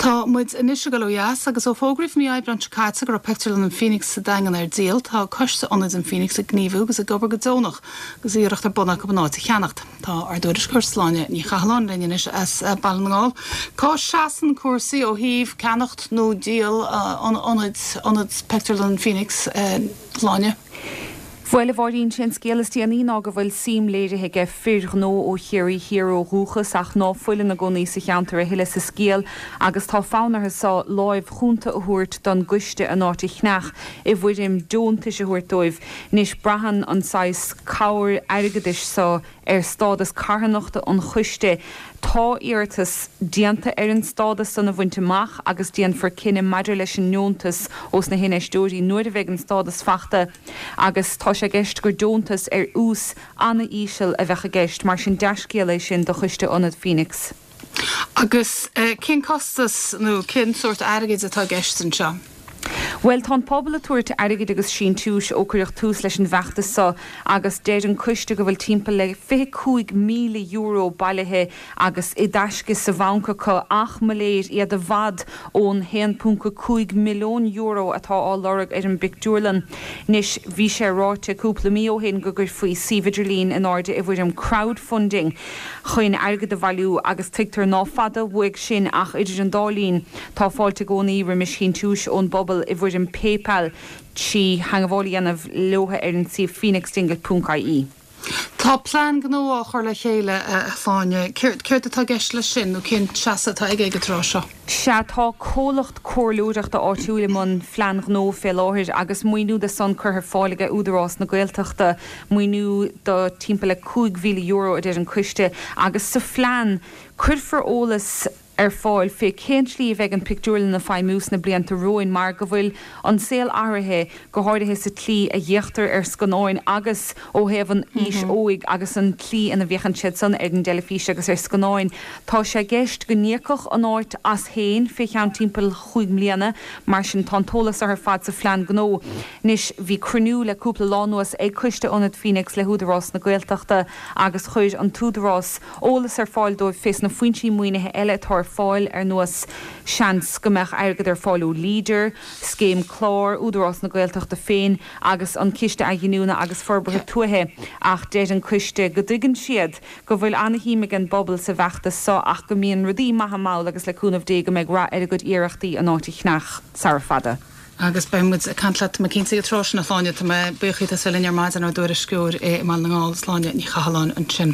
Tá muid anois ag dul ó dheas agus ó fógraíodh mí Aibreáin seo caite go raibh Pictiúrlann an Phoenix sa Daingean ar díol, tá Coiste Ionaid an Phoenix ag gníomhú agus ag obair go deonach agus iarracht ar bun acu an áit a cheannacht. Tá ár dtuairisceoir Sláine Ní Chathalláin linn anois as Baile na nGall. Cá seasann cúrsaí ó thaobh ceannacht nó díol an ionaid, ionad Pictiúrlann an Phoenix, Sláine? Bhuel, a Mháirín, sé an scéal is déanaí ná go bhfuil suim léirithe aige fir ghnó ó Chiarraí Thiar ó dhúchas ach ná fuil ina gcónaí sa cheantar a thuilleadh sa scéal agus tá fonn orthu so láimh chúnta a thabhairt don gcoiste an áit a cheannach i bhfoirm deontais a thabhairt dóibh. Anois braitheann an saghas cabhair airgeadais so ar stádas carthanachta an choiste. Tá iarratas déanta ar an stádas san a bhaint amach agus déanfar cinneadh maidir leis an ndeontas ós na hinfheisteoirí nuair a bheidh an stádas fachta agus tá sé i gceist gur deontas ar ús ana-íseal a bheadh i gceist. Mar sin dea-scéal é sin do Choiste Ionad Phoenix. Agus cén costas nó cén sórt airgid atá i gceist anseo? Bhuel, tá an pobal ag tabhairt airgid agus síntiúis ó cuireadh tús leis an bhfeachtas seo agus deir an coiste go bhfuil timpeall le €25,000 bailithe agus i dtaisce sa bhanc acu ach, mo léir, iad i bhfad ón €1.5 milliún atá á lorg ar an bpictiúrlann. Anois, bhí sé ráite cúpla mí ó shin go gcuirfí suíomh idirlín in airde i bhfoirm crowdfunding. chun airgead a bhailiú agus tuigtear ná fada uaidh sin ach idir an dá linn tá fáilte i gcónaí roimis shíntiúis ón bpobal i bhfoirm PayPal trí theangmháil a dhéanamh leotha ar an suíomh phoenixdingle ponc ie. Tá plean gnó á chur le chéile, a Shláine. Céard atá i gceist leis sin nó cén seasamh atá aige ag an tráth seo? Sea, tá comhlacht comhairleoireachta áitiúil i mbun phlean ghnó fé láthair agus maoiniú de san curtha ar fáil aige Údarás na Gaeltachta, maoiniú do timpeall le €5,000 a deir an coiste, agus sa phlean cuirfear eolas ar fáil fé cén tslí a bheidh an pictiúrlann ag feidhmiú sna blianta romhainn mar go bhfuil an saol athraithe, go háirithe sa tslí a bhféachtar ar scannáin agus ó thaobh an aois óig agus an tslí ina bhféachann siad san ar an dteilifís agus ar scannáin. Tá sé i gceist go n-íocfadh an áit as féin fé cheann timpeall chúig mbliana, mar sin tá an t-eolas ar fad sa phlean gnó. Anois, bhí cruinniú le cúpla lá anuas ag Coiste Ionad Phoenix le hÚdarás na Gaeltachta agus chuir an tÚdarás eolas ar fáil dóibh fés na foinsí maoinithe eile atá ar fáil, ar nós seans go mbeadh airgead ar fáil ó Leader, Scéim Clár, Údarás na Gaeltachta féin agus an Ciste Athghiniúna agus Forbartha Tuaithe ach deir an coiste go dtuigeann siad go bhfuil ana-shuim ag an bpobal sa bhfeachtas so ach go mbíonn rudaí maithe mall agus le cúnamh Dé go mbeidh rath ar a gcuid iarrachtaí an áit a cheannach sara fada. Agus beidh muid ag caint leat, tá mé cinnte, ag an tráth sin, a Shláine. Tá mé buíoch díot as bheith linn ar maidin, ár dtuairisceoir i mBaile na nGall, Sláine Ní Chathalláin ansin.